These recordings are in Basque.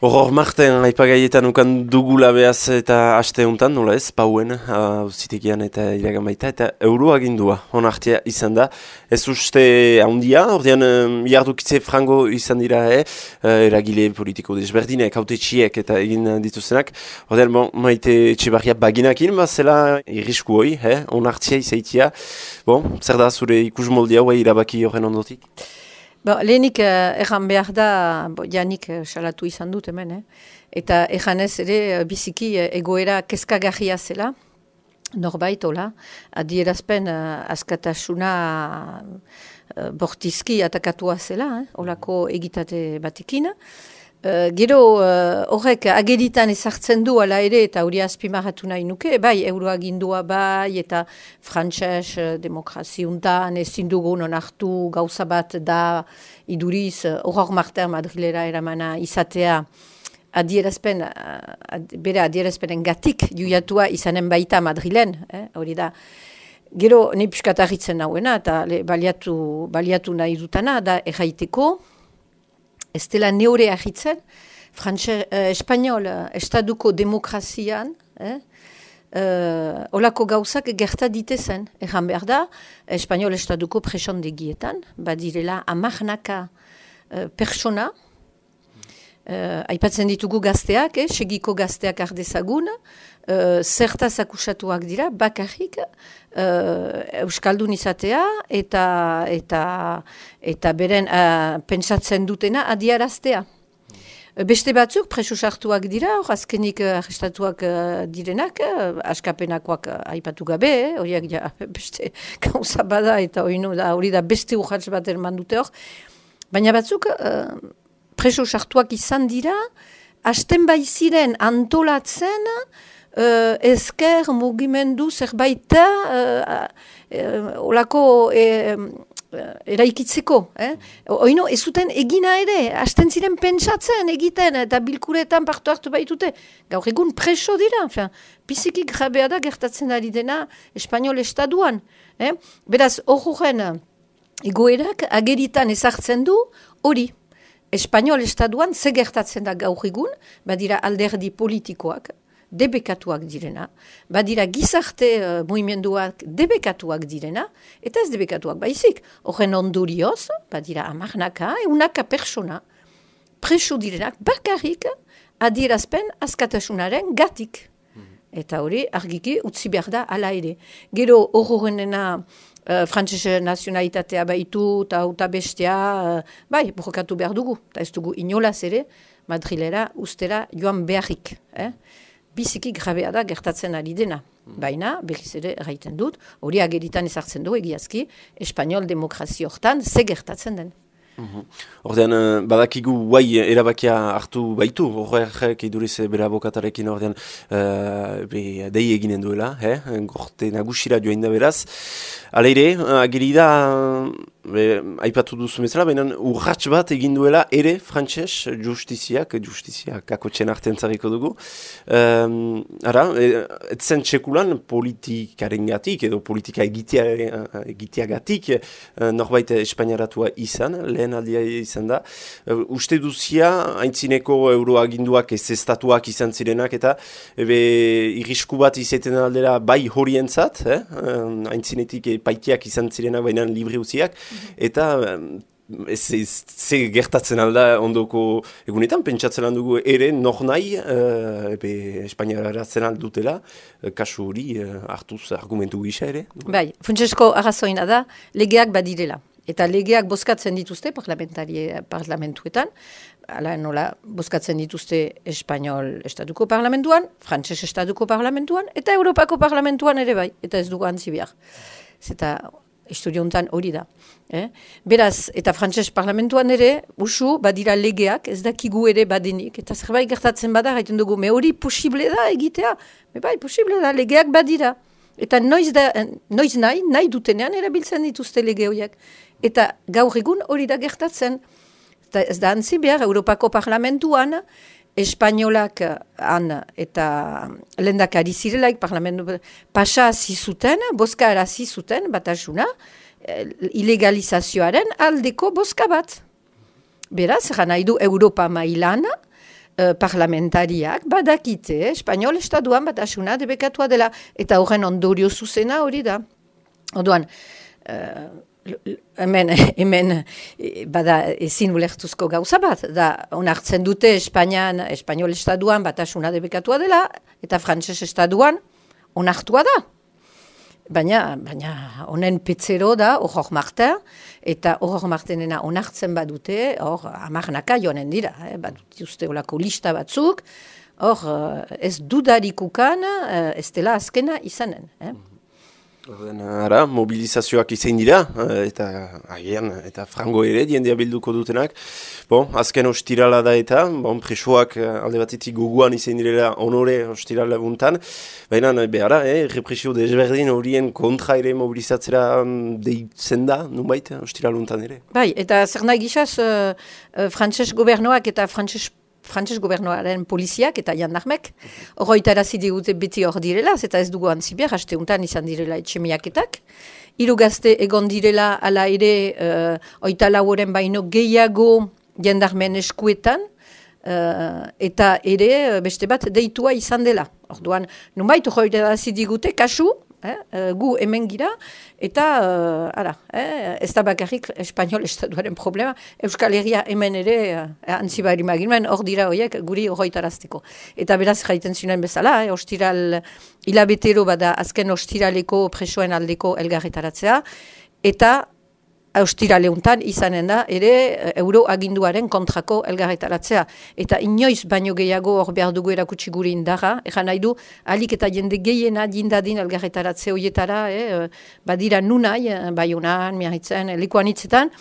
Horror Marten aipagaietan ukan dugula behaz eta aste honetan, nola ez, pauen, auzitegian eta iragan baita, eta euroagindua onartia izan da. Ez uste handia, ordean jardukitze frango izan dira, eragile politiko desberdinek, hautetxiek eta egin dituztenak. Ordean, maite Etxebarria baginakin, zela irrisku hoi, onartia izaitia. Zer da zure ikusmoldia hoi irabaki horren ondotik? Lehenik erran behar da, janik salatu izan dut hemen, eta erranez ere biziki egoera kezkagarria zela, norbait, hola, adierazpen askatasuna bortizki atakatua zela, holako egitate batekin. Gero horrek ageritan ezartzen du ala ere eta hori azpimarratu nahi nuke, bai euroagindua bai eta frantses demokraziuntan ezin dugun onartu gauza bat da iduriz Horror Marten Madrilera eramana izatea bere adierazpenen gatik juiatua izanen baita Madrilen, hori da. Gero nahi piskatarritzen nauena eta baliatu nahi dutana da erraiteko, ez dela neure ahitzen, Espanol estaduko demokrazian, olako gauzak gerta ditezen. Erran behar da, Espanol estaduko presondegietan, badirela amarnaka persona, aipatzen ditugu gazteak, segiko gazteak ardezagun, zertaz akusatuak dira, bakarrik, euskaldun izatea eta beren pentsatzen dutena adiaraztea. Beste batzuk preso sartuak dira, azkenik arrestatuak direnak, askapenakoak aipatu gabe, horiak beste gauza bada eta hori da beste urratz bat erman dute hor. Baina batzuk preso sartuak izan dira, hasten baiziren antolatzen, ezker mugimendu zerbaita olako eraikitzeko. Oino, ez zuten egina ere, hasten ziren pentsatzen egiten eta bilkuretan partu hartu baitute. Gaur egun preso dira, biziki grabea da gertatzen ari dena Espanol estaduan. Beraz, horren egoerak ageritan ezartzen du hori. Espanol estaduan ze gertatzen da gaur egun, badira alderdi politikoak, debekatuak direna, badira gizarte mugimenduak debekatuak direna, eta ez debekatuak baizik. Horren ondorioz, badira amarnaka, eunaka persona, preso direnak bakarrik adierazpen askatasunaren gatik. Eta hori argiki utzi behar da ala ere. Gero horrenena frantzese nazionalitatea baitu eta bestea, bai, borrokatu behar dugu, eta ez dugu inolaz ere, Madrilera ustera joan beharrik. Biziki grabea da gertatzen ari dena. Baina, berriz ere erraiten dut, hori ageritan ezartzen du egiazki, Espanol demokrazio hortan ze gertatzen den. Ordean, badakigu guai erabakia hartu baitu, horrek iduriz bere abokatarekin ordean dei eginen duela, gorte nagusira joain da beraz. Aleire, ageri da, aipatu duzu bezala, baina urratx bat egin duela ere frantses justizia kakotxen artean zarriko dugu. Etzen txekulan politikaren gatik edo politika egiteagatik norbait espainiaratua izan, lehen aldia izan da. Uste duzia, haintzineko euroaginduak ez estatuak izan zirenak eta irrisku bat izaten aldera bai horientzat, haintzinetik paitiak izan zirenak baina libri uziak, eta ze gertatzen alda ondoko egunetan, pentsatzen dugu ere nor nahi Espainiara zen aldutela, kasu hori hartuz argumentu gisa ere? Bai, Funtsesko arrazoina da, legeak badirela. Eta legeak bozkatzen dituzte parlamentuetan, ala nola bozkatzen dituzte Espanol estatuko parlamentuan, frantses estatuko parlamentuan, eta Europako parlamentuan ere bai, eta ez dugu antzi behar. Eta historia honetan hori da. Beraz, eta frantses parlamentuan ere, usu, badira legeak, ez dakigu ere badenik, eta zerbait gertatzen bada, gaiten dugu, me hori posible da egitea, me bai, posible da, legeak badira. Eta noiz nahi dutenean erabiltzen dituzte lege horiek. Eta gaur egun hori da gertatzen. Eta ez da antzi behar, Europako parlamentuan, Espainolak eta lehendakari zirelaik pasa zizuten, bozka arazi zuten, batasuna, ilegalizazioaren aldeko bozka bat. Beraz, nahi du Europa mailan, parlamentariak badakite, Espainol estatuan batasuna debekatua dela, eta horren ondorio zuzena hori da. Orduan, hemen bada ezin ulertuzko gauza bat, da onartzen dute Espainol estatuan batasuna debekatua dela, eta frantses estatuan onartua da. Baina honen petzero da Aurore Martin, eta Aurore Martinena onartzen badute, hor amarnaka joanen dira, badut uste olako lista batzuk, hor ez dudarikukan ez dela azkena izanen. Ara, mobilizazioak izan dira, eta agian, eta frango ere, diendea bilduko dutenak. Bon, azken ostirala da eta, presoak alde batetik goguan izan direla honore ostirala buntan. Baina, behara, represio desberdin horien kontra ere mobilizatzera deitzen da, nunbait, ostirala buntan ere. Bai, eta zer nahi gizaz, frantses gobernoak eta frantses gobernoaren poliziak eta jandarmek, horretarazi digute beti hor direla, eta ez dugu antzibiar, hasteuntan izan direla etxemiaketak. Hiru gazte egon direla ala ere oita lauren baino gehiago jandarmen eskuetan, eta ere beste bat deitua izan dela. Orduan, nunbait horretarazi digute, kasu, gu hemen gira, eta ez da bakarrik Espainol estatuaren problema, Euskal Herria hemen ere antzibari maginen, hor dira horiek guri horretarazteko. Eta beraz jaiten zinen bezala, ostiral hilabetero bada azken ostiraleko presoen aldeko elgarretaratzea, eta ostiraleuntan izanen da ere euroaginduaren kontrako elgarretaratzea. Eta inoiz baino gehiago hor behar dugu erakutsi guri indarra, egan nahi du, alik eta jende gehiena jindadin elgarretaratze horietara, badira nunai, Baionan, Miarritzen, lekuan hitzetan,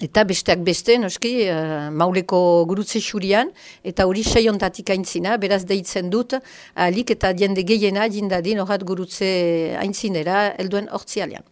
eta besteak beste, noski, mauleko gurutze xurian, eta hori seiontatik aintzina, beraz deitzen dut, alik eta jende gehiena jindadin horat gurutze aintzinera, helduen hortzialean.